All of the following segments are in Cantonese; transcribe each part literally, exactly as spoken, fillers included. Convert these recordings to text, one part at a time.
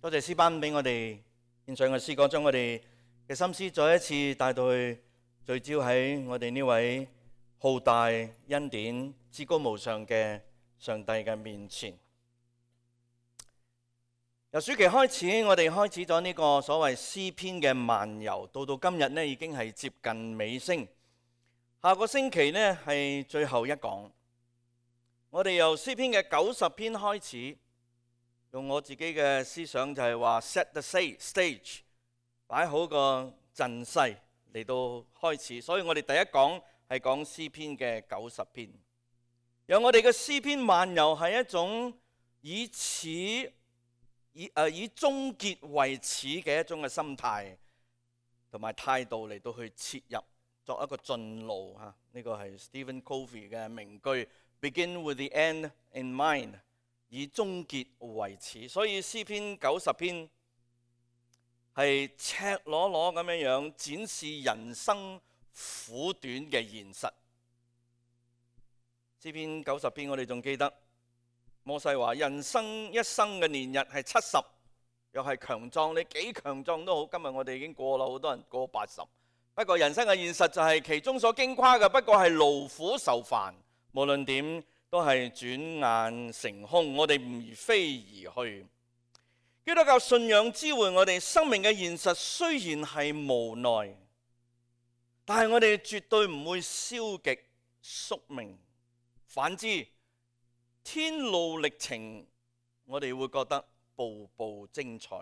多謝詩班俾我哋獻上嘅詩歌，將我哋嘅心思再一次帶到去聚焦喺我哋呢位浩大恩典、至高無上嘅上帝嘅面前。由暑期開始，我哋開始咗呢個所謂詩篇嘅漫遊，到到今日呢已經係接近尾聲。下個星期呢係最後一講，我哋由詩篇嘅九十篇開始，用我自己嘅思想就係話 set the stage， 擺好個陣勢嚟到開始。所以我哋第一講係講詩篇嘅九十篇，讓我哋嘅詩篇漫遊係一種以始以誒、呃、以終結為始嘅一種嘅心態同埋態度嚟到去切入，作一個進路嚇。呢個係 Stephen Covey 嘅名句 ，Begin with the end in mind， 以終結為始。所以詩篇九十篇係赤裸裸咁樣樣展示人生苦短嘅現實。詩篇九十篇我哋仲記得。摩西話：人生一生嘅年日係七十，又係強壯，你幾強壯都好。今日我哋已經過啦，好多人過八十。不過人生嘅現實就係其中所矜誇嘅，不過係勞苦受煩。無論點都係轉眼成空，我哋唔飛而去。基督教信仰知會我哋生命嘅現實雖然係無奈，但係我哋絕對唔會消極宿命。反之，天路歷程，我哋會覺得步步精彩，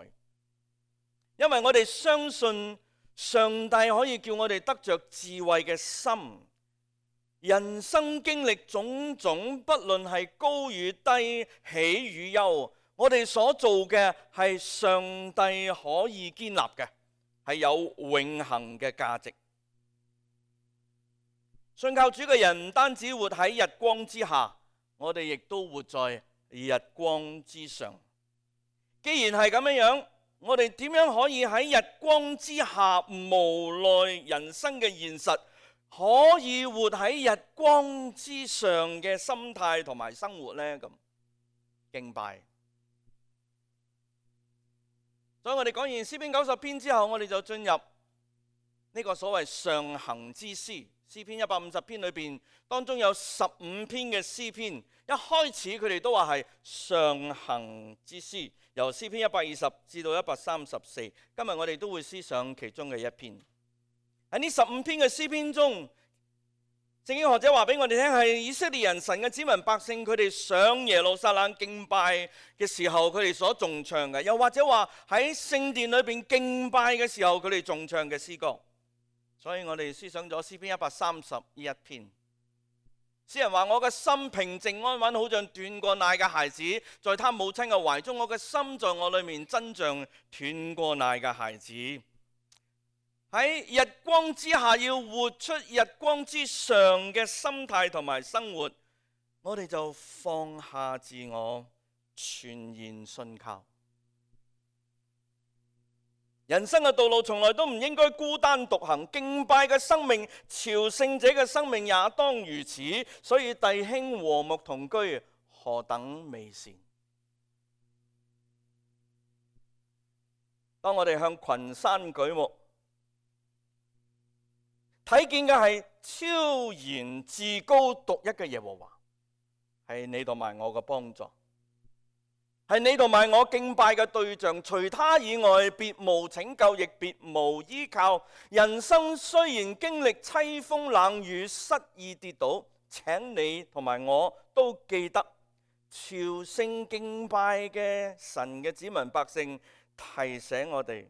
因為我哋相信上帝可以叫我哋得着智慧嘅心。人生經歷種種，不論係高與低、喜與憂，我哋所做嘅係上帝可以建立嘅，係有永恆嘅價值。信靠主嘅人唔單止活喺日光之下，我哋亦都活在日光之上。既然係咁樣樣，我哋點樣可以喺日光之下無奈人生嘅現實，可以活喺日光之上嘅心態同埋生活呢？咁敬拜。所以我哋講完詩篇九十篇之後，我哋就進入呢個所謂上行之詩。詩篇一百五十篇裏邊，當中有十五篇嘅詩篇，一開始佢哋都話係上行之詩，由詩篇一百二十至到一百三十四。今日我哋都會思想其中嘅一篇。喺呢十五篇嘅詩篇中，聖經學者話俾我哋聽，係以色列人神嘅子民百姓，佢哋上耶路撒冷敬拜嘅時候，佢哋所頌唱嘅；又或者話喺聖殿裏邊敬拜嘅時候，佢哋頌唱嘅詩歌。所以我哋思想咗詩篇一百三十呢一篇。詩人話：我嘅心平靜安穩，好像斷過奶嘅孩子，在他母親嘅懷中。我嘅心在我裏面，真像斷過奶嘅孩子。喺日光之下，要活出日光之上嘅心態同埋生活，我哋就放下自我，全然信靠。人生嘅道路從來都唔應該孤單獨行，敬拜嘅生命、朝聖者嘅生命也當如此。所以弟兄和睦同居，何等美善！當我哋向群山舉目，睇見嘅係超然至高獨一嘅耶和華，係你同埋我嘅幫助，係你同埋我敬拜嘅對象，除他以外別無拯救，亦別無依靠。人生雖然經歷凄風冷雨、失意跌倒，請你同埋我都記得，朝聖敬拜嘅神嘅子民百姓提醒我哋，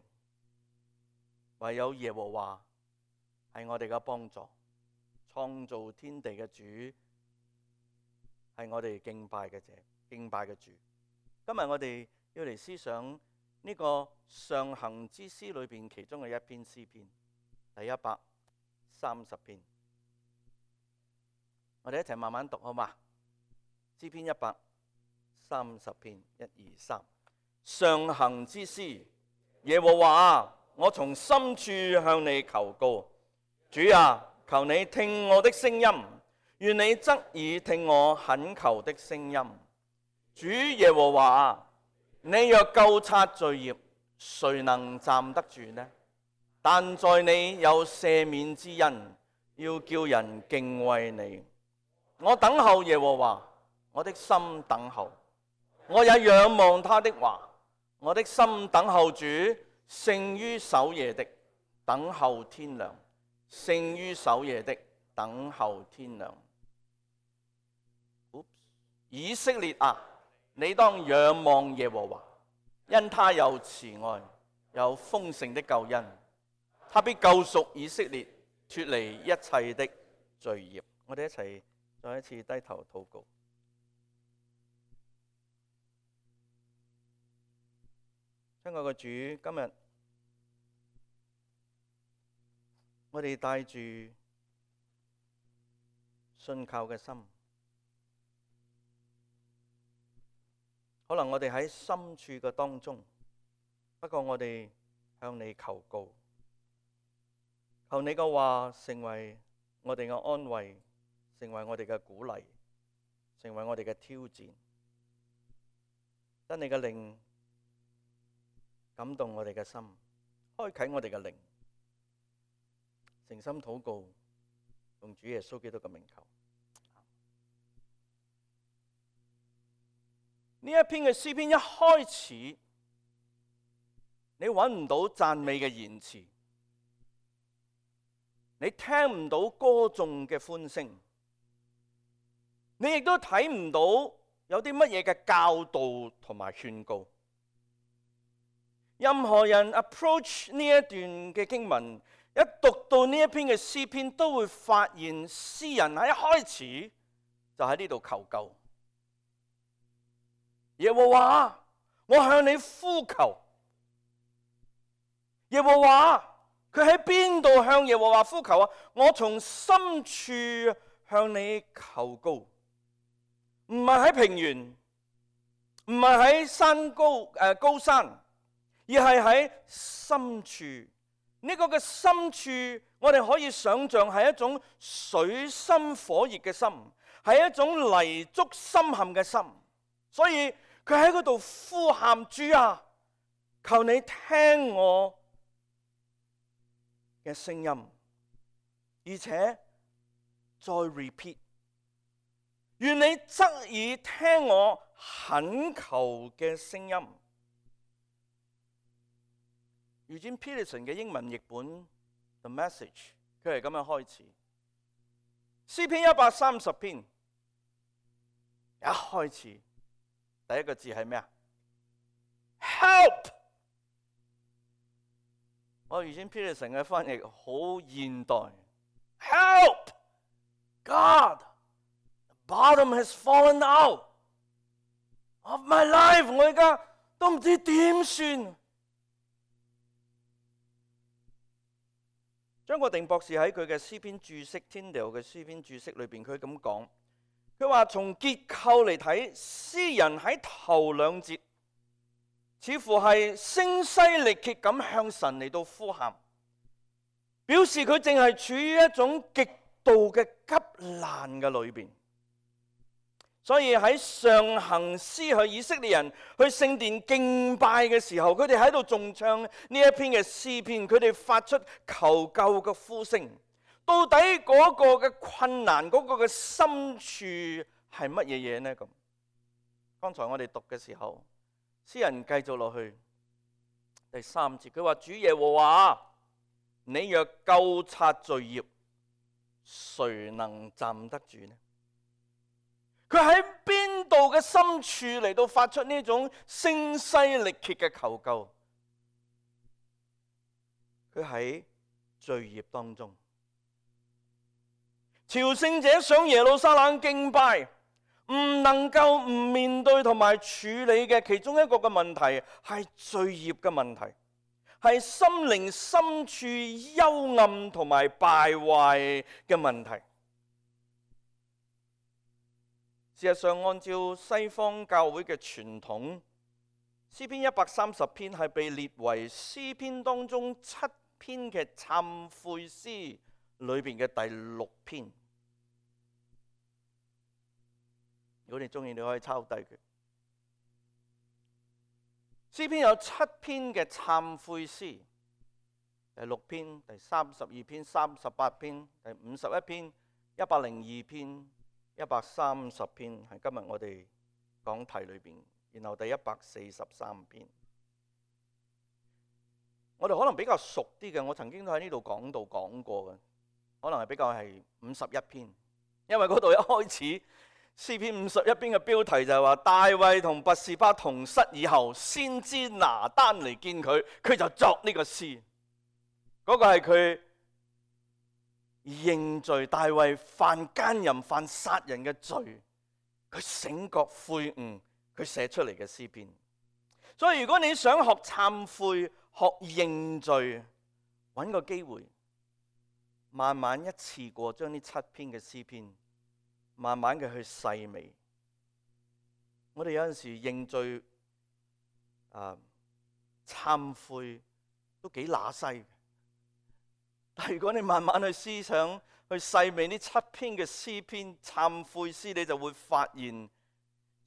唯有耶和華係我哋嘅幫助，創造天地嘅主係我哋敬拜嘅者，敬拜嘅主。今日我哋要嚟思想呢個上行之詩裏邊其中嘅一篇詩篇，第一百三十篇。我哋一齊慢慢讀好嘛？詩篇一百三十篇，一二三。上行之詩，耶和華啊，我從深處向你求告。主啊，求你聽我的聲音，願你側耳聽我懇求的聲音。主耶和華啊，你若究察罪孽，誰能站得住呢？但在你有赦免之恩，要叫人敬畏你。我等候耶和華，我的心等候，我也仰望他的話。我的心等候主，勝於守夜的等候天亮，勝於守夜的等候天亮。以色列啊，你當仰望耶和華，因他有慈愛，有豐盛的救恩，他必救贖以色列，脫離一切的罪孽。我哋一齊再一次低頭禱告。親愛嘅主，今日我哋帶住信靠嘅心，可能我哋喺深處嘅當中，不過我哋向你求告，求你嘅話成為我哋嘅安慰，成為我哋嘅鼓勵，成為我哋嘅挑戰。得你嘅靈感動我哋嘅心，開啟我哋嘅靈，誠心禱告，用主耶穌基督嘅名求。呢一篇嘅詩篇一開始，你揾唔到讚美嘅言辭，你聽唔到歌頌嘅歡聲，你亦都睇唔到有啲乜嘢嘅教導同埋勸告。任何人 approach 呢一段嘅經文，一讀到呢一篇嘅詩篇，都會發現詩人喺一開始就喺呢度求救。耶和華，我向你呼求。耶和華，佢喺邊度向耶和華呼求啊？我從深處向你求告，唔係喺平原，唔係喺山高誒、呃、高山。而係喺深處，呢個嘅深處，我哋可以想象係一種水深火熱嘅心，係一種泥足深陷嘅心。所以佢喺嗰度呼喊：主啊，求你聽我嘅聲音，而且再 repeat， 願你側耳聽我懇求嘅聲音。Eugene Peterson 嘅英文譯本 The Message， 佢係咁樣開始。詩篇一百三十篇一開始第一個字係咩啊 ？Help！ 我 Eugene Peterson 嘅翻譯好現代。Help! God! The bottom has fallen out of my life。我而家都唔知點算。張國定博士喺佢嘅詩篇注釋 Tyndale 嘅詩篇注釋裏邊，佢咁講，佢話從結構嚟睇，詩人喺頭兩節似乎係聲嘶力竭咁向神嚟到呼喊，表示佢淨係處於一種極度嘅急難嘅裏邊。所以喺上行詩去以色列人去聖殿敬拜嘅時候，佢哋喺度重唱呢一篇嘅詩篇，佢哋發出求救嘅呼聲。到底嗰個嘅困難，嗰個嘅深處係乜嘢嘢呢？咁剛才我哋讀嘅時候，詩人繼續落去第三節，佢話：主耶和華，你若究察罪孽，誰能站得住呢？佢喺邊度嘅深處嚟到發出呢種聲嘶力竭嘅求救？佢喺罪孽當中。朝聖者上耶路撒冷敬拜，唔能夠唔面對同埋處理嘅其中一個嘅問題係罪孽嘅問題，係心靈深處幽暗同埋敗壞嘅問題。事實上，按照西方教會嘅傳統，詩篇一百三十篇係被列為詩篇當中七篇嘅懺悔詩裏邊嘅第六篇。如果你中意，你可以抄低佢。詩篇有七篇嘅懺悔詩，第六篇、第三十二篇、三十八篇、第五十一篇、一百零二篇、一百三十篇，係今日我哋講題裏邊。然後第一百四十三篇，我哋可能比較熟啲嘅，我曾經都喺呢度講道講過嘅，可能係比較係五十一篇，因為嗰度一開始詩篇五十一篇嘅標題就係話大衛同拔示巴同室以後，先知拿單嚟見佢，佢就作呢個詩。嗰、那個係佢認罪，大衛犯奸淫、犯殺人嘅罪，佢醒覺悔悟，佢寫出嚟嘅詩篇。所以如果你想學懺悔、學認罪，揾個機會，慢慢一次過將呢七篇嘅詩篇，慢慢嘅去細味。我哋有陣時認罪、啊懺悔都幾乸西。但如果你慢慢去思想、去細味呢七篇嘅詩篇、懺悔詩，你就會發現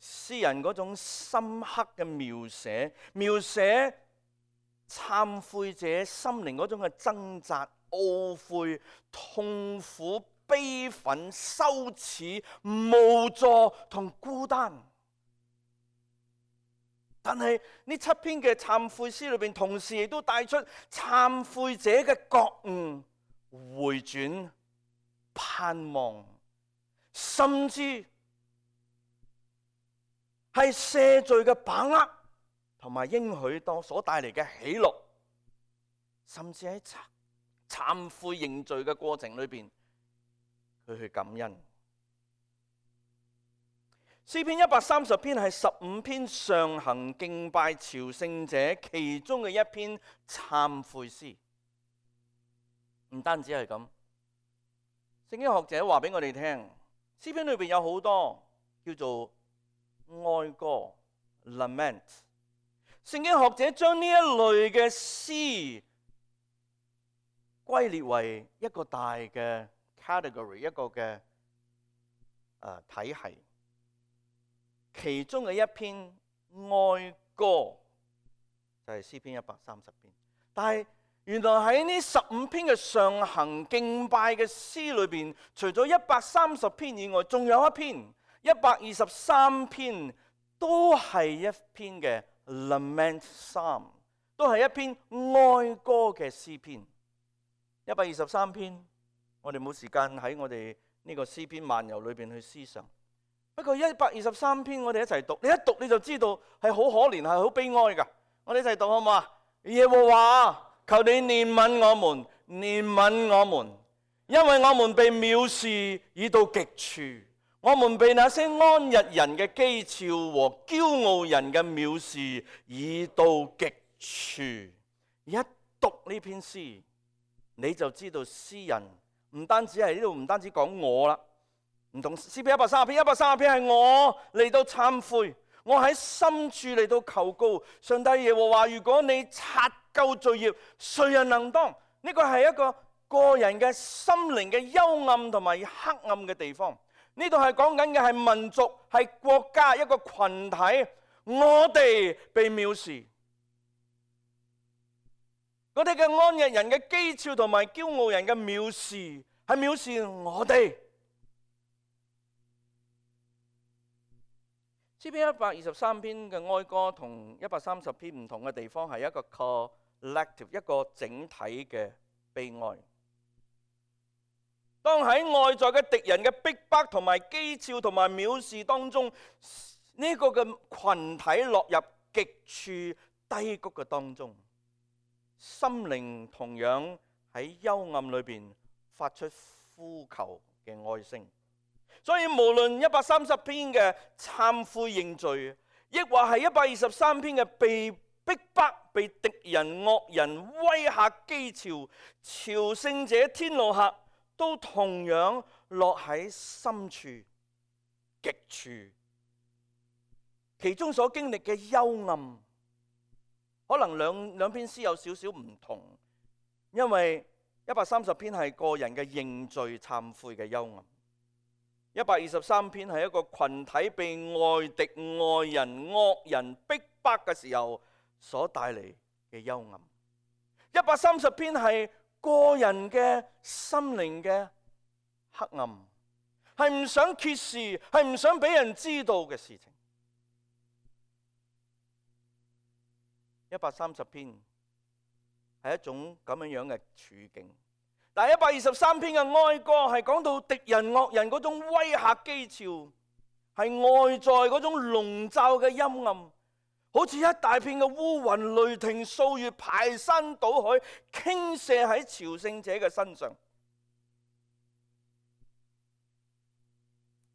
詩人嗰種深刻嘅描寫，描寫懺悔者心靈嗰種嘅掙扎、懊悔、痛苦、悲憤、羞恥、無助同孤單。但係呢七篇嘅懺悔詩裏邊，同時亦都帶出懺悔者嘅覺悟、回轉、盼望，甚至係赦罪嘅把握，同埋應許當所帶嚟嘅喜樂，甚至喺懺悔認罪嘅過程裏邊，佢去感恩。詩篇一百三十篇係十五篇上行敬拜朝聖者其中嘅一篇懺悔詩。唔單止係咁，聖經學者話俾我哋聽，詩篇裏邊有好多叫做哀歌 lament。聖經學者將呢一類嘅詩歸列為一個大嘅 category， 一個嘅誒體系。其中嘅一篇哀歌就係詩篇一百三十篇，但係原來喺呢十五篇嘅上行敬拜嘅詩裏邊，除咗一百三十篇以外，仲有一篇一百二十三篇都係一篇嘅 lament psalm， 都係一篇哀歌嘅詩篇。一百二十三篇，我哋冇時間喺我哋呢個詩篇漫遊裏邊去思想。不過一百二十三篇我哋一齊讀，你一讀你就知道係好可憐，係好悲哀噶。我哋一齊讀好唔好啊？耶和華，求你憐憫我們，憐憫我們，因為我們被藐視已到極處，我們被那些安逸人嘅譏誚和驕傲人嘅藐視已到極處。一讀呢篇詩，你就知道詩人唔單止係呢度，唔單止講我啦。唔同詩篇一百三十篇，一百三十篇係我嚟到懺悔，我喺深處嚟到求告上帝耶和華，如果你察究罪孽，誰人能當？呢個係一個個人嘅心靈嘅幽暗同埋黑暗嘅地方。呢度係講緊嘅係民族，係國家，一個群體，我哋被藐視，嗰啲嘅安逸人嘅譏誚同埋驕傲人嘅藐視，係藐視我哋。詩篇一百二十三篇嘅哀歌同一百三十篇唔同嘅地方係一個 collective， 一個整體嘅悲哀。當喺外在嘅敵人嘅逼迫同埋譏誚同埋藐視當中，呢個嘅群體落入極處低谷嘅當中，心靈同樣喺幽暗裏邊發出呼求嘅哀聲。所以無論一百三十篇嘅懺悔認罪，亦或係一百二十三篇嘅被逼迫、被敵人惡人威嚇譏誚、朝聖者天路客，都同樣落喺深處極處。其中所經歷嘅幽暗，可能兩兩篇詩有少少唔同，因為一百三十篇係個人嘅認罪懺悔嘅幽暗。一百二十三篇係一個群體被外敵、外人、惡人逼迫嘅時候所帶嚟嘅幽暗。一百三十篇係個人嘅心靈嘅黑暗，係唔想揭示，係唔想俾人知道嘅事情。一百三十篇係一種咁樣樣嘅處境，但係一百二十三篇嘅哀歌係講到敵人惡人嗰種威嚇譏誚，係外在嗰種籠罩嘅陰暗，好似一大片嘅烏雲雷霆掃月，排山倒海傾瀉喺朝聖者嘅身上。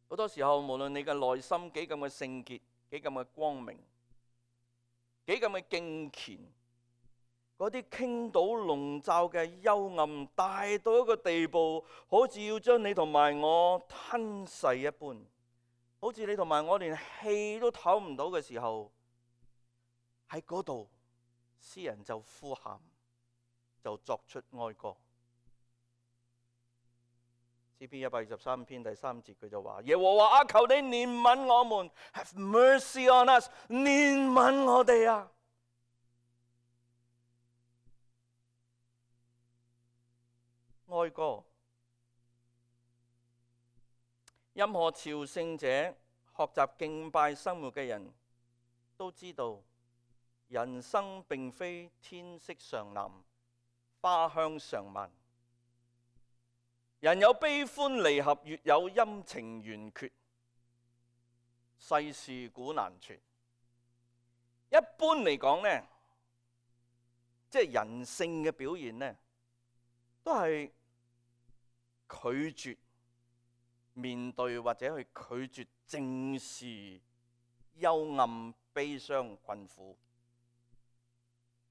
好多時候，無論你嘅內心幾咁嘅聖潔，幾咁嘅光明，幾咁嘅敬虔，嗰啲傾倒籠罩嘅幽暗大到一個地步，好似要將你同埋我吞噬一般，好似你同埋我連氣都唞唔到嘅時候，喺嗰度，詩人就呼喊，就作出哀歌。詩篇一百二十三篇第三節，佢就話：耶和華啊，求你憐憫我們 ，Have mercy on us， 憐憫我哋啊！哀歌，任何朝聖者學習敬拜生活嘅人都知道，人生並非天色常藍，花香常漫。人有悲歡離合，月有陰晴圓缺，世事古難全。一般嚟講呢，即係人性嘅表現呢，都係拒絕面對或者去拒絕正視幽暗、悲傷、困苦。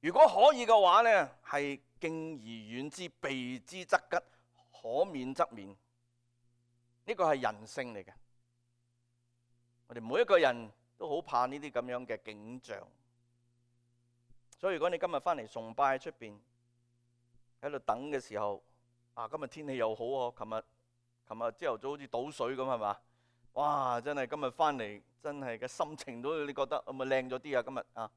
如果可以嘅話呢，係敬而遠之，避之則吉，可免則免。呢個係人性嚟嘅。我哋每一個人都好怕呢啲咁樣嘅景象。所以如果你今日翻嚟崇拜喺出邊喺度等嘅時候，啊，今日天氣又好啊！琴日琴日朝頭早好似倒水咁係嘛？哇！真係今日翻嚟真係嘅心情都你覺得係咪靚咗啲啊？今日啊！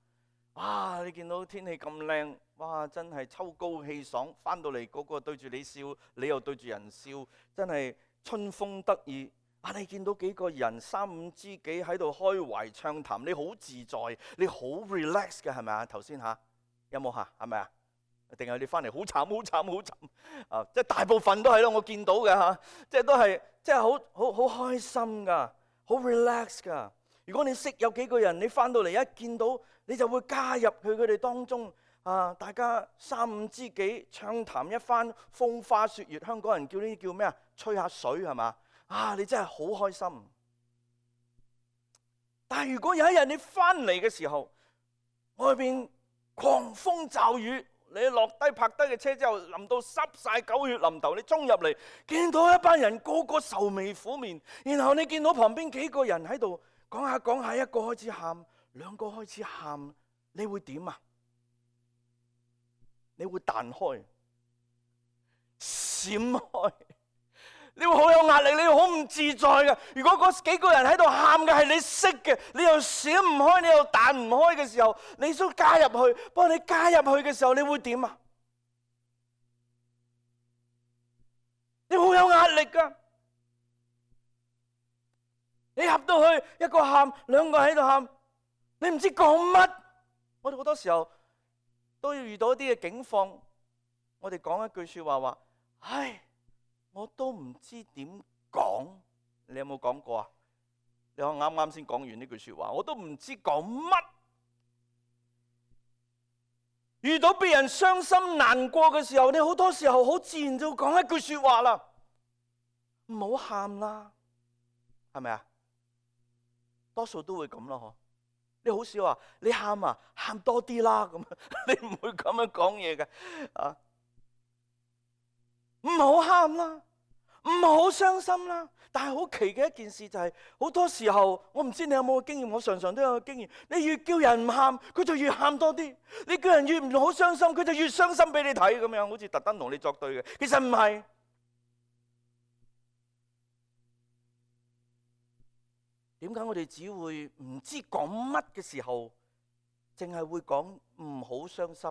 哇！你見到天氣咁靚，哇！真係秋高氣爽，翻到嚟嗰個對住你笑，你又對住人笑，真係春風得意。啊！你見到幾個人三五知己喺度開懷暢談，你好自在，你好 relax 嘅係咪啊？頭先嚇有冇嚇？係咪啊？定係你翻嚟好慘好慘好慘啊！即係大部分都係咯，我見到嘅嚇，即係都係即係好好好開心噶，好 relax 噶。如果你識有幾個人，你翻到嚟一見到，你就會加入去佢哋當中啊！大家三五知己暢談一番風花雪月，香港人叫呢啲叫咩啊？吹下水係嘛？啊！你真係好開心。但係如果有一日你翻嚟嘅時候，外邊狂風驟雨。你落低泊低嘅車之後，淋到濕晒狗血淋頭，你衝入嚟，見到一班人個個愁眉苦面，然後你見到旁邊幾個人喺度講下講下，一個開始喊，兩個開始喊，你會點啊？你會彈開、閃開，你會好有壓力，你會好唔自在嘅。如果嗰幾個人喺度喊嘅係你識嘅，你又閃唔開，你又彈唔開嘅時候，你想加入去，不過你加入去嘅時候，你會點啊？你好有壓力噶。你入到去，一個喊，兩個喺度喊，你唔知講乜。我哋好多時候都要遇到一啲嘅境況，我哋講一句說話話，唉。我都唔知點講，你有冇講過啊？你我啱啱先講完呢句說話，我都唔知講乜。遇到別人傷心難過嘅時候，你好多時候好自然就講一句說話啦，唔好喊啦，係咪啊？多數都會咁咯，嗬。你好少話你喊啊，喊多啲啦咁，你唔會咁樣講嘢嘅啊。唔好喊啦，唔好傷心啦。但係好奇嘅一件事就係、是，好多時候我唔知你有冇經驗，我常常都有經驗。你越叫人唔喊，佢就越喊多啲；你叫人越唔好傷心，佢就越傷心俾你睇，咁樣好似特登同你作對嘅。其實唔係。點解我哋只會唔知講乜嘅時候淨係會講唔好傷心，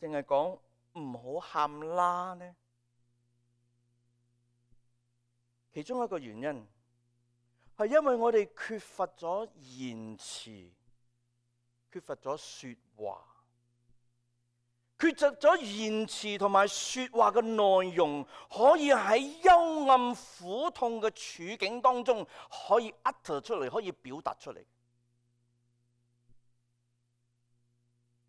淨係講唔好喊啦呢？其中一個原因係因為我哋缺乏咗言辭，缺乏咗說話，缺乏咗言辭同埋說話嘅內容，可以喺幽暗苦痛嘅處境當中可以 utter 出嚟，可以表達出嚟。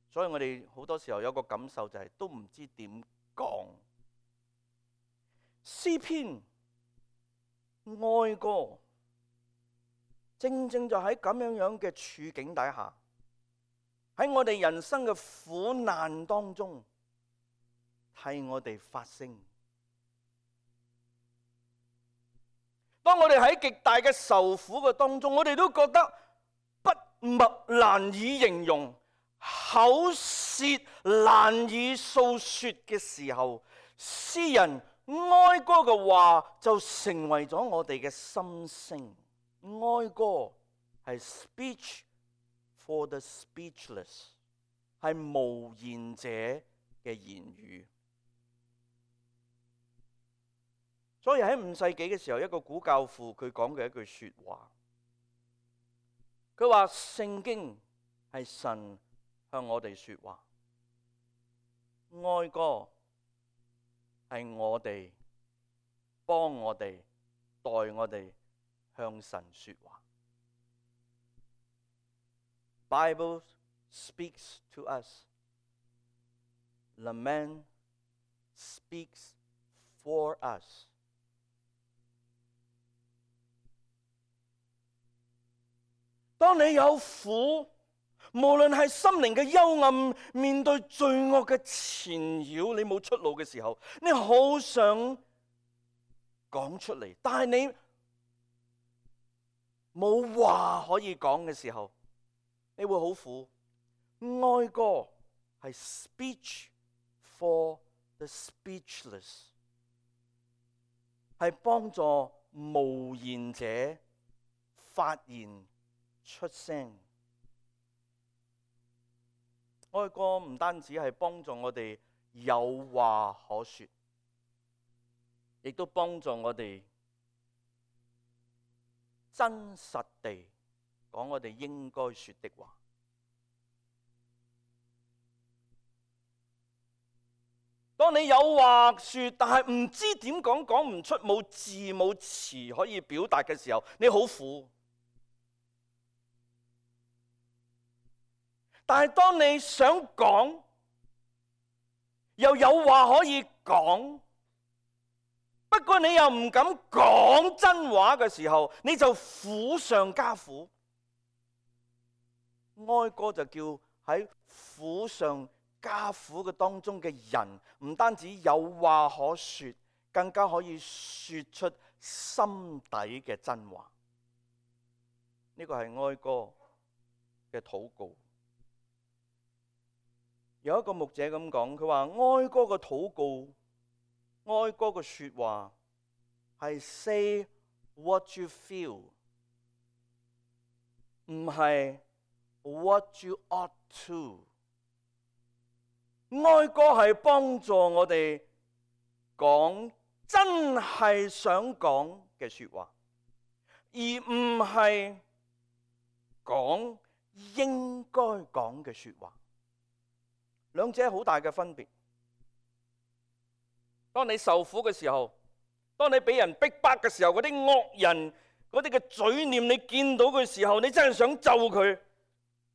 所以我哋好多時候有個感受就係都唔知點講。詩篇哀歌正正就喺咁樣樣嘅處境底下，喺我哋人生嘅苦難當中替我哋發聲。當我哋喺極大嘅受苦嘅當中，我哋都覺得筆墨難以形容，口舌難以訴說嘅時候，詩人哀歌嘅話就成為咗我哋嘅心聲。哀歌係 speech for the speechless， 係無言者嘅言語。所以喺五世紀嘅時候，一個古教父佢講嘅一句說話，佢話聖經係神向我哋說話，哀歌係我哋幫我哋代我哋向神說話。Bible speaks to us. Lament speaks for us. 當你有苦，無論係心靈嘅幽暗，面對罪惡嘅纏繞，你冇出路嘅時候，你好想講出嚟，但係你冇話可以講嘅時候，你會好苦。哀歌係 speech for the speechless， 係幫助無言者發言出聲。哀歌唔單止係幫助我哋有話可說，亦都幫助我哋真實地講我哋應該說的話。當你有話說，但係唔知點講，講唔出，冇字冇詞可以表達嘅時候，你好苦。但係當你想講，又有話可以講，不過你又唔敢講真話嘅時候，你就苦上加苦。哀歌就叫喺苦上加苦嘅當中嘅人，唔單止有話可說，更加可以說出心底嘅真話。呢個係哀歌嘅禱告。有一個牧者咁講，佢話哀歌嘅禱告，哀歌嘅說話係 say what you feel， 唔係 what you ought to。哀歌係幫助我哋講真係想講嘅說話，而唔係講應該講嘅說話。兩者好大嘅分別。當你受苦嘅時候，當你俾人逼迫嘅時候，嗰啲惡人嗰啲嘅嘴臉，你見到嘅時候，你真係想咒佢，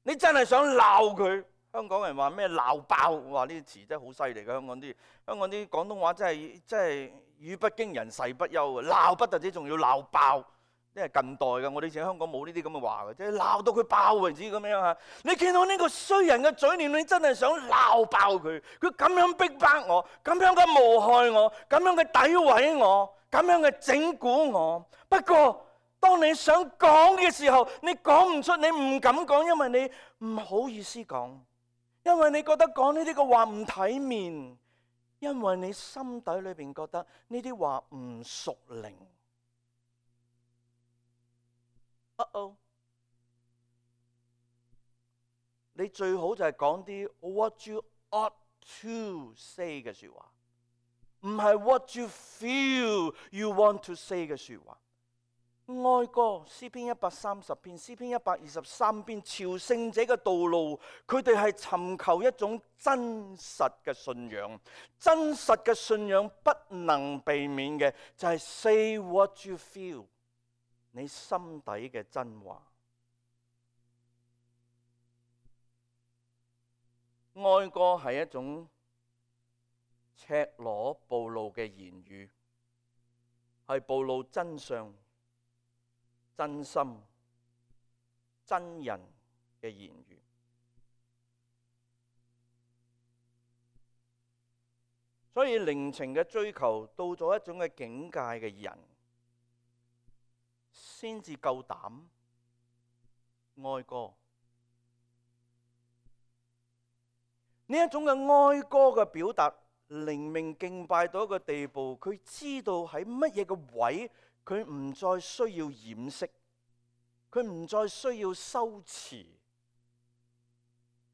你真係想鬧佢。香港人話咩鬧爆，話呢啲詞真係好犀利嘅。香港啲香港啲廣東話真係真係語不驚人誓不休嘅，鬧不特止，仲要鬧爆。呢係近代嘅，我哋以前香港冇呢啲咁嘅話嘅，即係鬧到佢爆為止咁樣嚇。你見到呢個衰人嘅嘴臉，你真係想鬧爆佢。佢咁樣逼迫我，咁樣嘅誣害我，咁樣嘅詆毀我，咁樣嘅整蠱我。不過當你想講嘅時候，你講唔出，你唔敢講，因為你唔好意思講，因為你覺得講呢啲嘅話唔體面，因為你心底裏邊覺得呢啲話唔屬靈。Uh oh. 你最好就係講啲 what you ought to say 嘅説話，唔係 what you feel you want to say 嘅説話。哀歌詩篇一百三十篇，詩篇一百二十三篇，朝聖者嘅道路，佢哋係尋求一種真實嘅信仰。真實嘅信仰不能避免嘅就係 say what you feel， 你心底嘅真話。哀歌係一種赤裸暴露嘅言語，係暴露真相、真心、真人嘅言語。所以靈情嘅追求到咗一種嘅境界嘅人，先至夠膽哀歌。呢一種嘅哀歌嘅表達，靈命敬拜到一個地步，佢知道喺乜嘢嘅位，佢唔再需要掩飾，佢唔再需要修辭，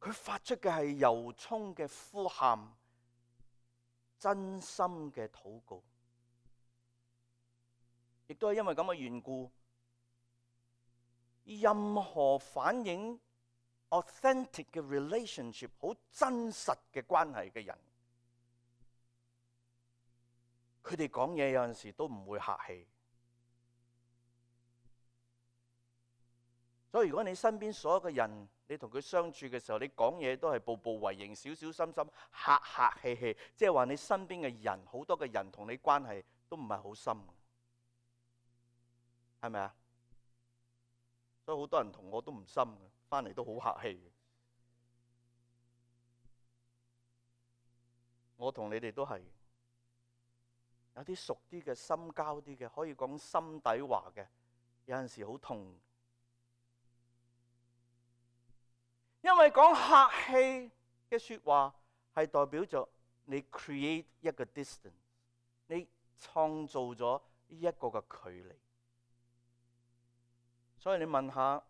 佢發出嘅係由衷嘅呼喊，真心嘅禱告。亦都係因為咁嘅緣故，任何反映authentic 嘅 relationship， 好真實嘅關係嘅人，佢哋講嘢有陣時都唔會客氣。所以如果你身邊所有嘅人，你同佢相處嘅時候，你講嘢都係步步為營、小小心心、客客氣氣，即係話你身邊嘅人，好多嘅人同你關係都唔係好深，係咪啊？所以好多人同我都唔深嘅，翻嚟都好客氣嘅。我同你哋都係有啲熟啲嘅、深交啲嘅，可以講心底話嘅，有陣時好痛。因為講客氣嘅説話係代表咗你 create 一個 distance， 你創造咗一個嘅距離。所以你問下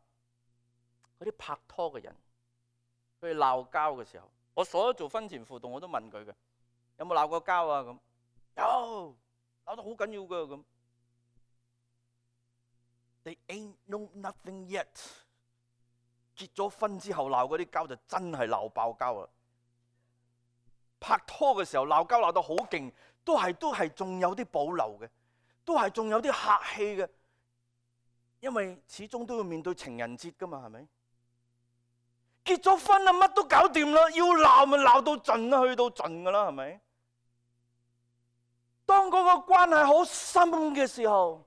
嗰啲拍拖嘅人，佢哋鬧交嘅時候，我所有做婚前輔導我都問佢嘅，有冇鬧過交啊？咁有，鬧得好緊要㗎咁。They ain't know nothing yet。結咗婚之後鬧嗰啲交就真係鬧爆交啦！拍拖嘅時候鬧交鬧到好勁，都係都係仲有啲保留嘅，都係仲有啲客氣嘅，因為始終都要面對情人節噶嘛，係咪？結咗婚啦，乜都搞掂啦，要鬧咪鬧到盡啦，去到盡噶啦，係咪？當嗰個關係好深嘅時候，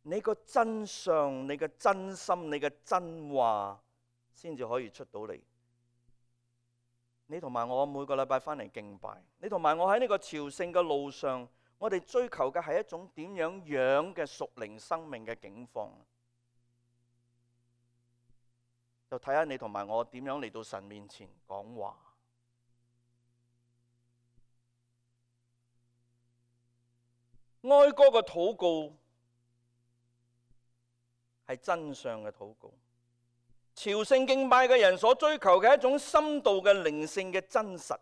你個真相、你嘅真心、你嘅真話，先至可以出到嚟。你同埋我每個禮拜翻嚟敬拜，你同埋我喺呢個朝聖嘅路上，我哋追求嘅係一種點樣樣嘅屬靈生命嘅境況。就睇下你同埋我點樣嚟到神面前講話。哀歌嘅禱告係真相嘅禱告。朝聖敬拜嘅人所追求嘅一種深度嘅靈性嘅真實，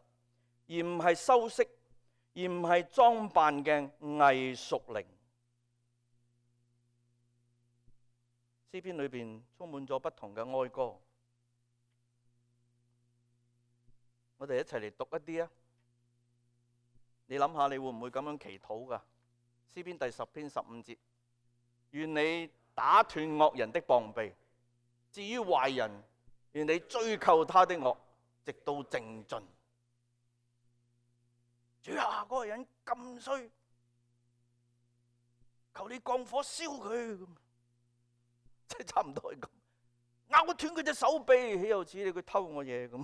而唔係修飾，而唔係裝扮嘅偽屬靈。詩篇裏邊充滿咗不同嘅哀歌，我哋一齊嚟讀一啲啊！你諗下，你會唔會咁樣祈禱㗎？詩篇第十篇十五節，願你打斷惡人的膀臂。至於壞人，願你追究他的惡，直到淨盡。主啊，嗰個人咁衰，求你降火燒佢，即係差唔多係咁，咬斷佢隻手臂，豈有此理，佢偷我嘢咁。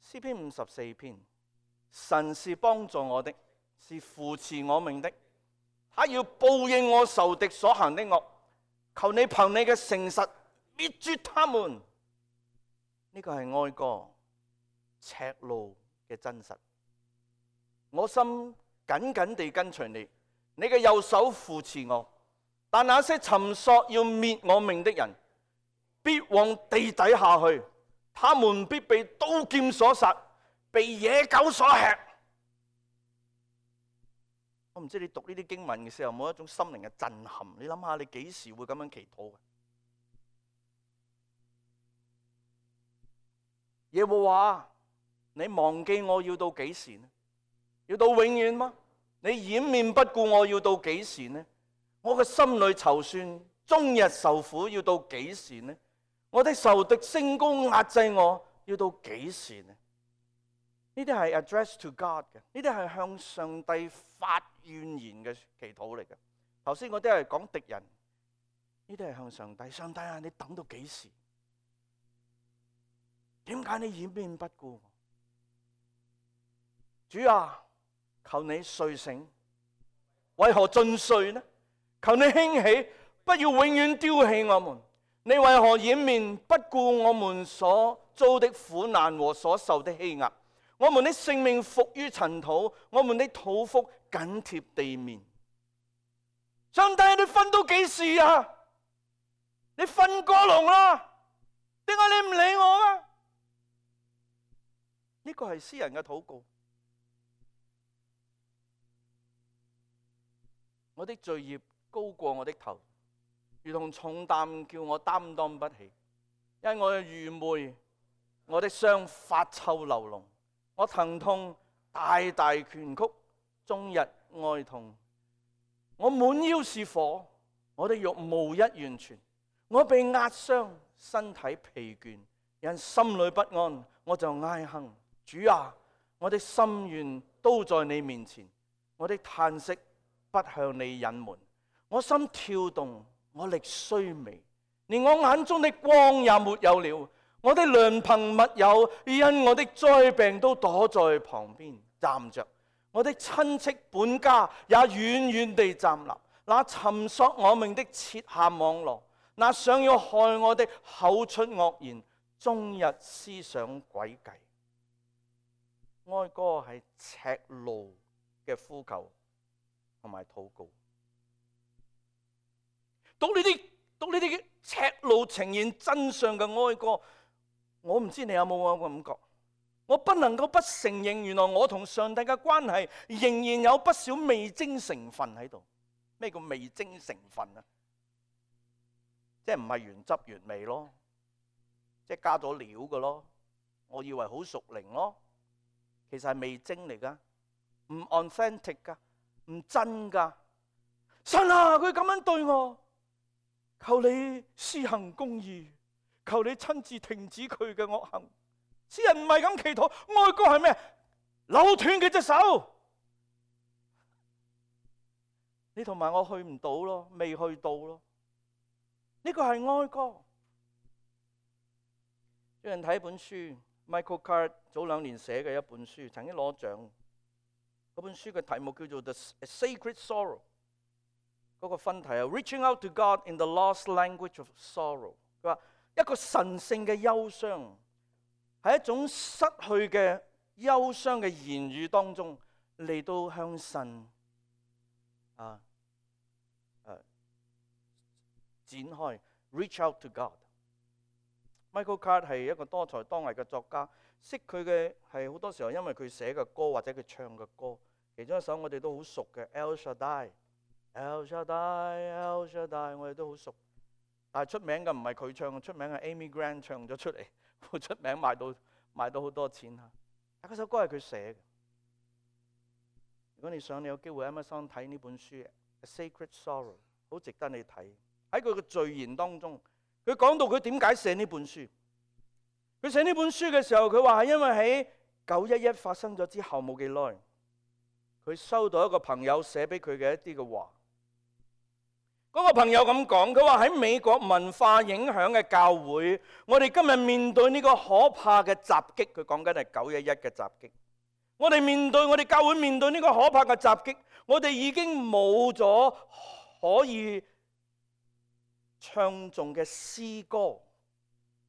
詩篇五十四篇，神是幫助我的，是扶持我命的，他要報應我仇敵所行的惡，求你憑你嘅誠實滅絕他們。呢個係哀歌，赤露嘅真實。我心緊緊地跟隨你，你嘅右手扶持我。但那些尋索要滅我命的人，必往地底下去。他們必被刀劍所殺，被野狗所吃。我唔知你讀呢啲經文嘅時候有冇一種心靈嘅震撼？你諗下，你幾時會咁樣祈禱嘅？耶和華，你忘記我要到幾時呢？要到永遠嗎？你掩面不顧我要到幾時呢？我嘅心裏籌算，終日受苦要到幾時呢？我的仇敵升高壓制我要到幾時呢？呢啲係 address to God 嘅，呢啲係向上帝發怨言嘅祈禱嚟嘅。頭先嗰啲係講敵人，呢啲係向上帝。上帝啊，你等到幾時？點解你掩面不顧我？主啊，求你睡醒，為何盡睡呢？求你興起，不要永遠丟棄我們。你為何掩面不顧我們所遭的苦難和所受的欺壓？我們的性命伏於塵土，我們的肚腹緊貼地面。上帝，你瞓到幾時啊？你瞓過籠啦？點解你唔理我啊？呢個係詩人嘅禱告。我的罪孽高過我的頭，如同重擔叫我擔當不起。因我嘅愚昧，我的傷發臭流膿。我疼痛大大拳曲，終日哀痛。我滿腰是火，我的肉無一完全。我被壓傷，身體疲倦，因心裏不安，我就哀哼。主啊，我的心願都在你面前，我的嘆息不向你隱瞞。我心跳動，我力衰微，連我眼中的光也沒有了。我的良朋密友因我的災病都躲在旁邊站着，我的親戚本家也遠遠地站立。那尋索我命的設下網羅，那想要害我的口出惡言，終日思想詭計。哀歌係赤露嘅呼求同埋禱告。讀呢啲讀呢啲赤露呈現真相嘅哀歌，我唔知你有冇咁嘅感覺？我不能夠不承認，原來我同上帝嘅關係仍然有不少味精成分喺度。咩叫味精成分啊？即係唔係原汁原味咯，即係加咗料嘅咯。我以為好屬靈咯，其實係味精嚟噶，唔 authentic 噶，唔真噶。神啊，佢咁樣對我，求你施行公義，求你親自停止佢嘅惡行。詩人唔係咁祈禱，哀歌係咩？扭斷佢隻手。你同埋我去唔到咯，未去到咯。呢個係哀歌。最近睇一本書 ，Michael Card 早兩年寫嘅一本書，曾經攞獎。嗰本書嘅題目叫做《The Sacred Sorrow》。嗰個分題係 Reaching Out to God in the Lost Language of Sorrow。佢話一個神聖嘅憂傷，喺一種失去嘅憂傷嘅言語當中嚟到向神啊。展開 reach out to God。Michael Card 係一個多才多藝嘅作家，識佢嘅係好多時候因為佢寫嘅歌或者佢唱嘅歌，其中一首我哋都好熟嘅 El Shaddai，El Shaddai，El Shaddai， 我哋都好熟。但係出名嘅唔係佢唱，出名係 Amy Grant 唱咗出嚟，好出名，賣到賣到好多錢嚇。但嗰首歌係佢寫嘅。如果你想你有機會喺 Amazon 睇呢本書《A Sacred Sorrow》，好值得你睇。喺佢嘅序言當中，佢講到佢點解寫呢本書。佢寫呢本書嘅時候，佢話係因為喺九一一發生咗之後冇幾耐，佢收到一個朋友寫俾佢嘅一啲嘅話。嗰個朋友咁講，佢話喺美國文化影響嘅教會，我哋今日面對呢個可怕嘅襲擊，佢講緊係九一一嘅襲擊。我哋面對我哋教會面對呢個可怕嘅襲擊，我哋已經冇咗可以唱頌嘅詩歌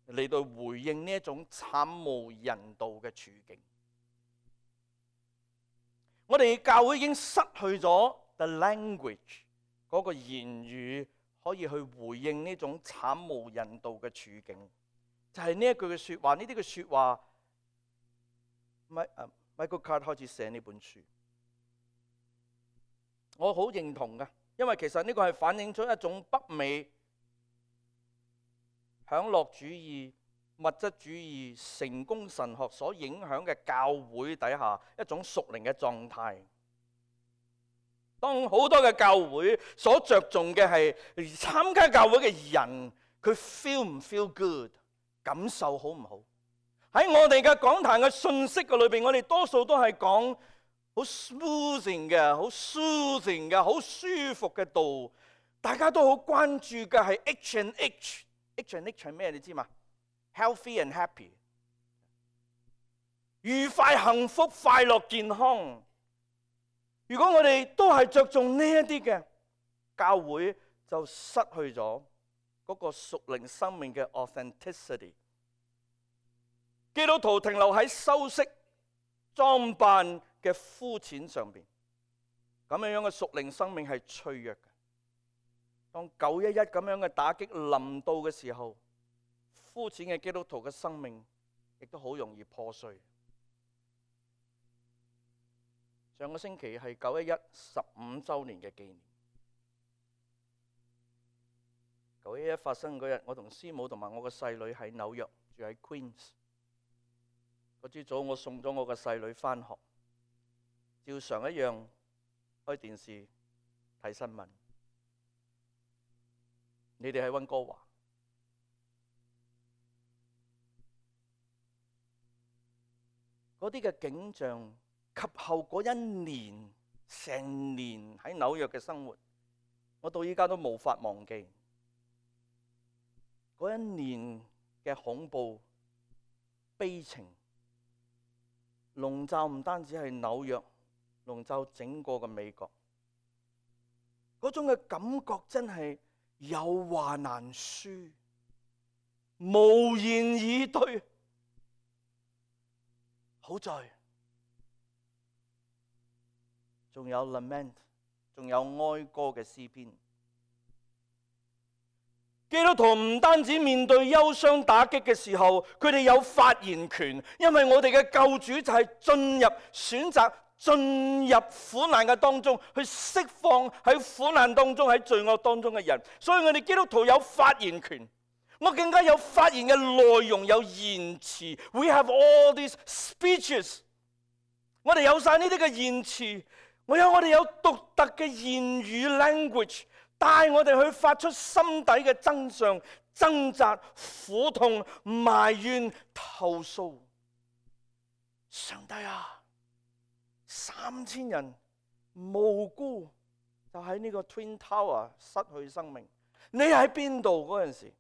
嚟到回應呢一種慘無人道嘅處境。我哋教會已經失去咗 the language 嗰個言語，可以去回應呢種慘無人道嘅處境。就係呢一句嘅説話，呢啲嘅説話，米啊 Michael Card 開始寫呢本書，我好認同㗎，因為其實呢個係反映出一種北美享樂主義、物質主義、成功神學所影響嘅教會底下一種屬靈嘅狀態。當好多嘅教會所着重嘅係參加教會嘅人，佢 feel 唔 feel good， 感受好唔好？喺我哋嘅講壇嘅信息嘅裏邊，我哋多數都係講好 smoothing 嘅、好 soothing 嘅、好舒服嘅道。大家都好關注嘅係 H and H，H and H 係咩？你知嘛？ Healthy and happy， 愉快、幸福、快樂、健康。如果我哋都係着重呢一啲嘅，教會就失去咗嗰個屬靈生命嘅 authenticity。基督徒停留喺修飾裝扮嘅膚淺上邊，咁樣樣嘅屬靈生命係脆弱嘅。當九一一咁樣嘅打擊臨到嘅時候，膚淺嘅基督徒嘅生命亦都好容易破碎。上個星期係九一一十五週年嘅紀念。九一一發生嗰日，我同師母同埋我個細女喺紐約，住喺 Queens。嗰朝早我送咗我個細女返學，照常一樣開電視睇新聞。你哋喺溫哥華，嗰啲嘅景象及後嗰一年成年喺紐約嘅生活，我到依家都無法忘記。嗰一年嘅恐怖、悲情，籠罩唔單止係紐約，籠罩整個嘅美國。嗰種嘅感覺真係有話難説，無言以對。好在仲有 lament， 仲有哀歌嘅詩篇。基督徒唔單止面對憂傷打擊嘅時候，佢哋有發言權，因為我哋嘅救主就係進入選擇進入苦難嘅當中，去釋放喺苦難當中喺罪惡當中嘅人。所以我哋基督徒有發言權，我更加有發言嘅內容，有言辭。We have all these speeches， 我哋有晒呢啲嘅言辭，我有我哋有獨特嘅言語 language。帶我哋去發出心底嘅真相、掙扎、苦痛、埋怨、投訴。上帝啊，三千人無辜就喺呢個 Twin Tower 失去生命，你喺邊度嗰陣時？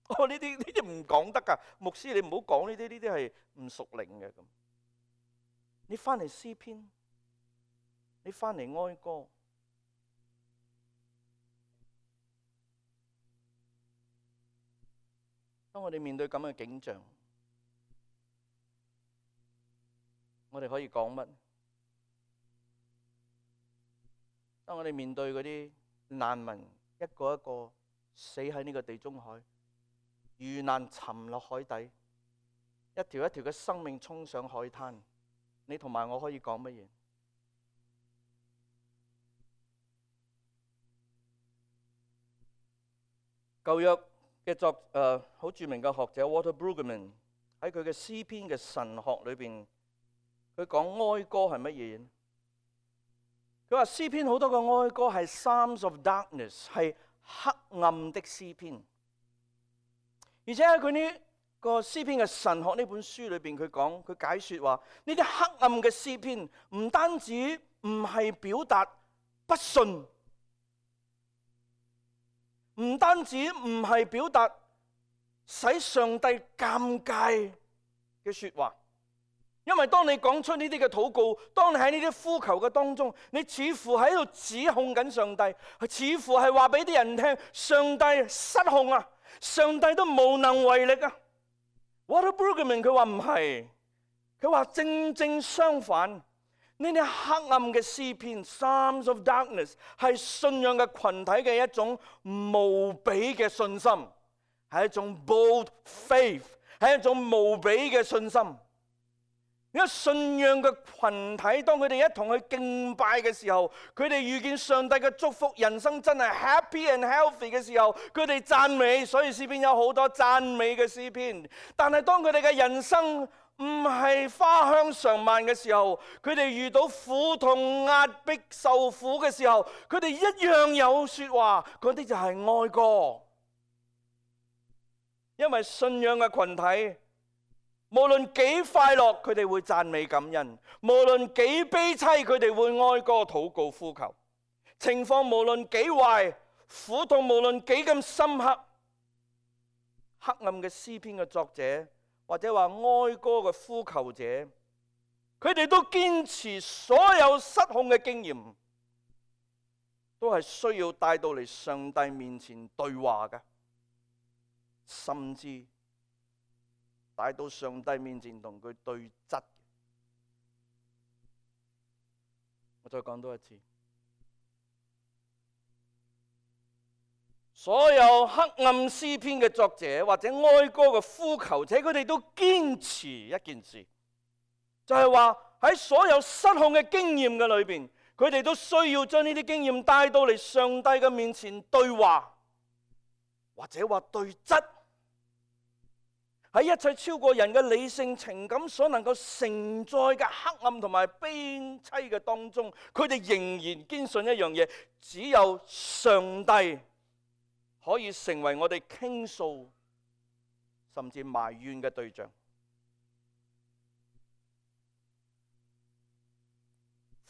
哦，呢啲呢啲唔講得㗎，牧師你唔好講呢啲，呢啲係唔屬靈嘅咁。你翻嚟詩篇，你翻嚟哀歌。當我哋面對咁嘅景象，我哋可以講乜？當我哋面對嗰啲難民一個一個死喺呢個地中海，遇難沉落海底，一條一條嘅生命衝上海灘，你同埋我可以講乜嘢？舊約嘅作誒好、呃、著名嘅學者 Walter Brueggemann 喺佢嘅詩篇嘅神學裏邊，佢講哀歌係乜嘢？佢話詩篇好多個哀歌係 Psalms of Darkness， 係黑暗的詩篇。而且喺佢呢個詩篇嘅神學呢本書裏邊，佢講佢解説話呢啲黑暗嘅詩篇唔單止唔係表達不信。唔單止唔係表達使上帝尷尬嘅說話，因為當你講出呢啲嘅禱告，當你喺呢啲呼求嘅當中，你似乎喺度指控緊上帝，似乎係話俾啲人聽，上帝失控啊，上帝都無能為力啊。Walter Brueggemann佢話唔係，佢話正正相反。呢啲黑暗嘅詩篇 Psalms of Darkness 係信仰嘅群體嘅一種無比嘅信心，係係一種 bold faith， 係一種無比嘅信心。呢個信仰嘅群體，當佢哋一同去敬拜嘅時候，佢哋遇見上帝嘅祝福，人生真係 happy and healthy 嘅時候，佢哋讚美，所以詩篇有好多讚美嘅詩篇。但係當佢哋嘅人生唔係花香常漫嘅時候，佢哋遇到苦痛、壓迫、受苦嘅時候，佢哋一樣有說話，嗰啲就係哀歌。因為信仰嘅群體，無論幾快樂，佢哋會讚美感恩；無論幾悲悽，佢哋會哀歌禱告呼求。情況無論幾壞，苦痛無論幾咁深刻，黑暗嘅詩篇嘅作者，或者話哀歌嘅呼求者，佢哋都堅持所有失控嘅經驗，都係需要帶到嚟上帝面前對話嘅，甚至帶到上帝面前同佢對質。我再講多一次，所有黑暗詩篇嘅作者或者哀歌嘅呼求者，佢哋都堅持一件事，就係話喺所有失控嘅經驗嘅裏邊，佢哋都需要將呢啲經驗帶到嚟上帝嘅面前對話，或者話對質。喺一切超過人嘅理性情感所能夠承載嘅黑暗同埋悲悽嘅當中，佢哋仍然堅信一樣嘢，只有上帝可以成為我哋傾訴甚至埋怨嘅對象。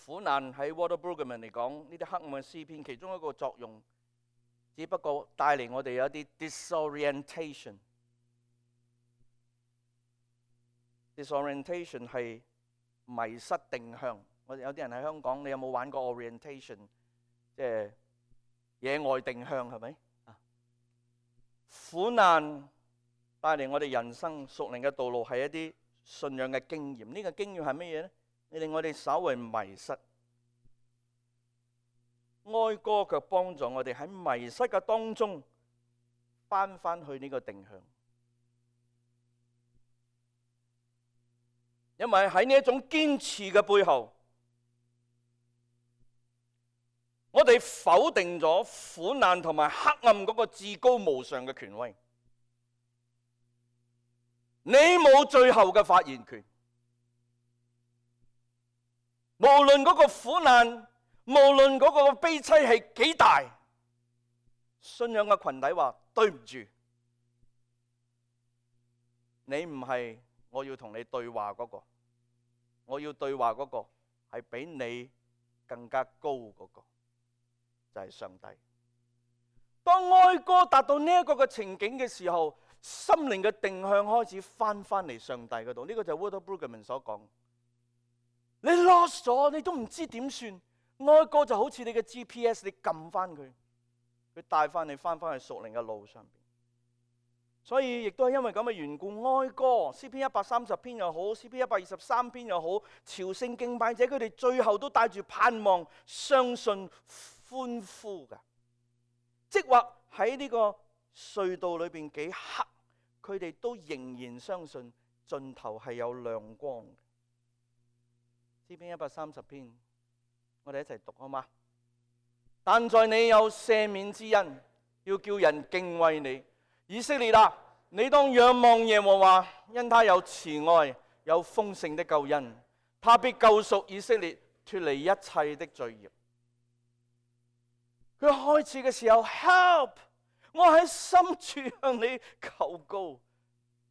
苦難喺 Walter Brueggemann 嚟講，呢啲黑暗嘅詩篇其中一個作用，只不過帶嚟我哋有一啲 disorientation。disorientation 係迷失定向。我哋有啲人喺香港，你有冇玩過 orientation？ 即係野外定向，係咪？苦難帶嚟我哋人生屬靈嘅道路係一啲信仰嘅經驗。呢個經驗係乜嘢咧？令我哋稍為迷失。哀歌卻幫助我哋喺迷失嘅當中翻翻去呢個定向。因為喺呢一種堅持嘅背後，我哋否定咗苦難同埋黑暗嗰個至高無上嘅權威。你冇最後嘅發言權，無論嗰個苦難，無論嗰個悲悽係幾大，信仰嘅群體話對唔住，你唔係我要同你對話嗰個，我要對話嗰個係比你更加高嗰個，就係上帝。當哀歌達到呢一個嘅情景嘅時候，心靈嘅定向開始翻翻嚟上帝嗰度。呢個就係 Walter Brueggemann 所講。你 lost 咗，你都唔知點算。哀歌就好似你嘅 G P S， 你撳翻佢，佢帶翻你翻翻去屬靈嘅路上邊。所以亦都係因為咁嘅緣故，哀歌詩篇一百三十篇又好，詩篇一百二十三篇又好，朝聖敬拜者佢哋最後都帶住盼望、相信、歡呼嘅。即或喺呢個隧道裏邊幾黑，佢哋都仍然相信盡頭係有亮光嘅。詩篇一百三十篇，我哋一齊讀好嗎？但在你有赦免之恩，要叫人敬畏你。以色列啊，你當仰望耶和華，因他有慈愛，有豐盛的救恩，他必救贖以色列，脫離一切的罪孽。佢開始嘅時候 ，help， 我喺深處向你求告。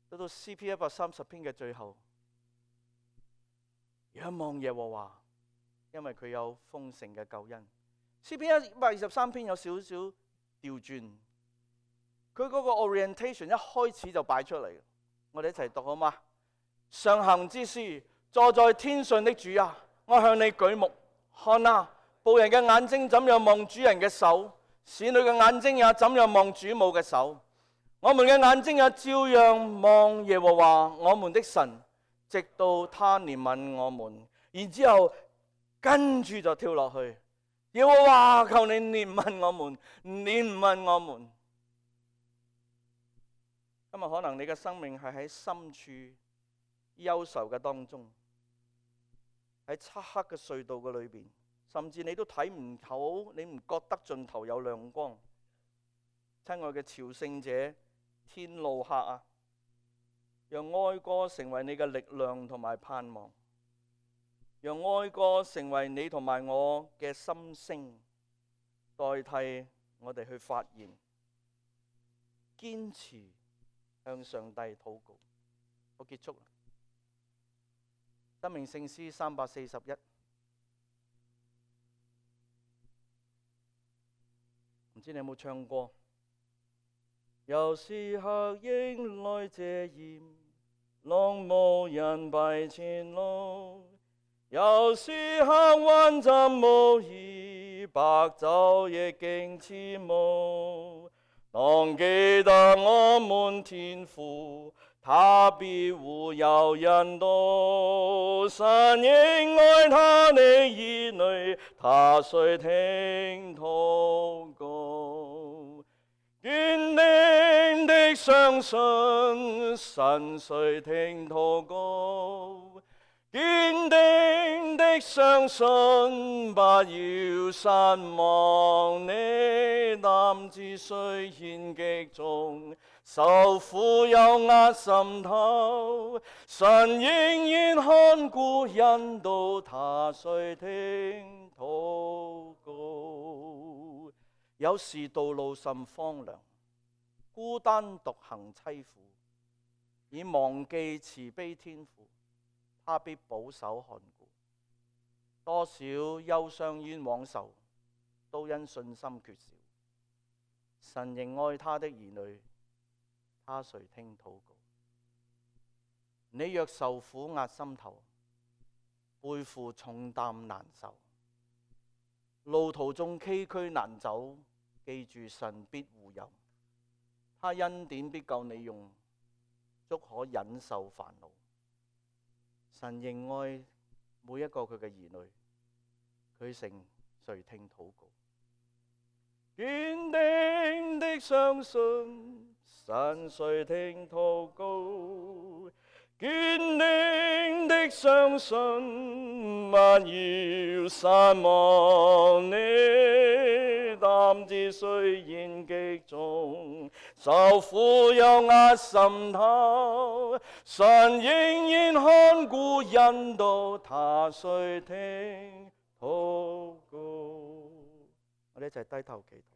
到到詩篇一百三十篇嘅最後，仰望耶和華，因為佢有豐盛嘅救恩。詩篇一百二十三篇有少少調轉。佢嗰個 orientation 一開始就擺出嚟，我哋一齊讀好嗎？上行之師，坐在天上的主啊，我向你舉目，看啊，僕人嘅眼睛怎樣望主人嘅手，使女嘅眼睛也怎樣望主母嘅手。我們嘅眼睛也照樣望耶和華我們的神，直到他憐憫我們。然之後跟住就跳落去，耶和華求你憐憫我們，憐憫我們。今日可能你嘅生命係喺深處憂愁嘅當中，喺漆黑嘅隧道嘅裏邊，甚至你都睇唔到，你唔覺得盡頭有亮光。親愛嘅朝聖者，天路客啊，讓哀歌成為你嘅力量同埋盼望，讓哀歌成為你同埋我嘅心聲，代替我哋去發言，堅持向上帝禱告。我結束啦。生命聖詩三百四十一，唔知你有冇唱過？有時黑影來遮掩，浪無人蔽前路；有時黑雲浸無依，白晝亦經似霧。當記得我們天父，他必護佑人道，神應愛他的兒女，他垂聽禱告。堅定的相信，神垂聽禱告；堅定的相信，不要失望。你擔子雖然極重，受苦又壓心頭，神仍然看顧引導，他垂聽禱告。有時道路甚荒涼，孤單獨行淒苦，已忘記慈悲天父，他必保守看顧。多少憂傷冤枉仇，都因信心缺少，神仍愛他的兒女，他垂聽禱告。你若受苦壓心頭，背負重擔難受，路途中崎嶇難走，記住神必護佑，他恩典必夠你用，足可忍受煩惱。神仍愛每一個佢嘅兒女，佢誠垂聽禱告。堅定的相信，神垂聽禱告；堅定的相信，不要失望。你擔子雖然極重，受苦又壓心頭，神仍然看顧引導，他垂聽禱告。我哋一齊低頭祈禱。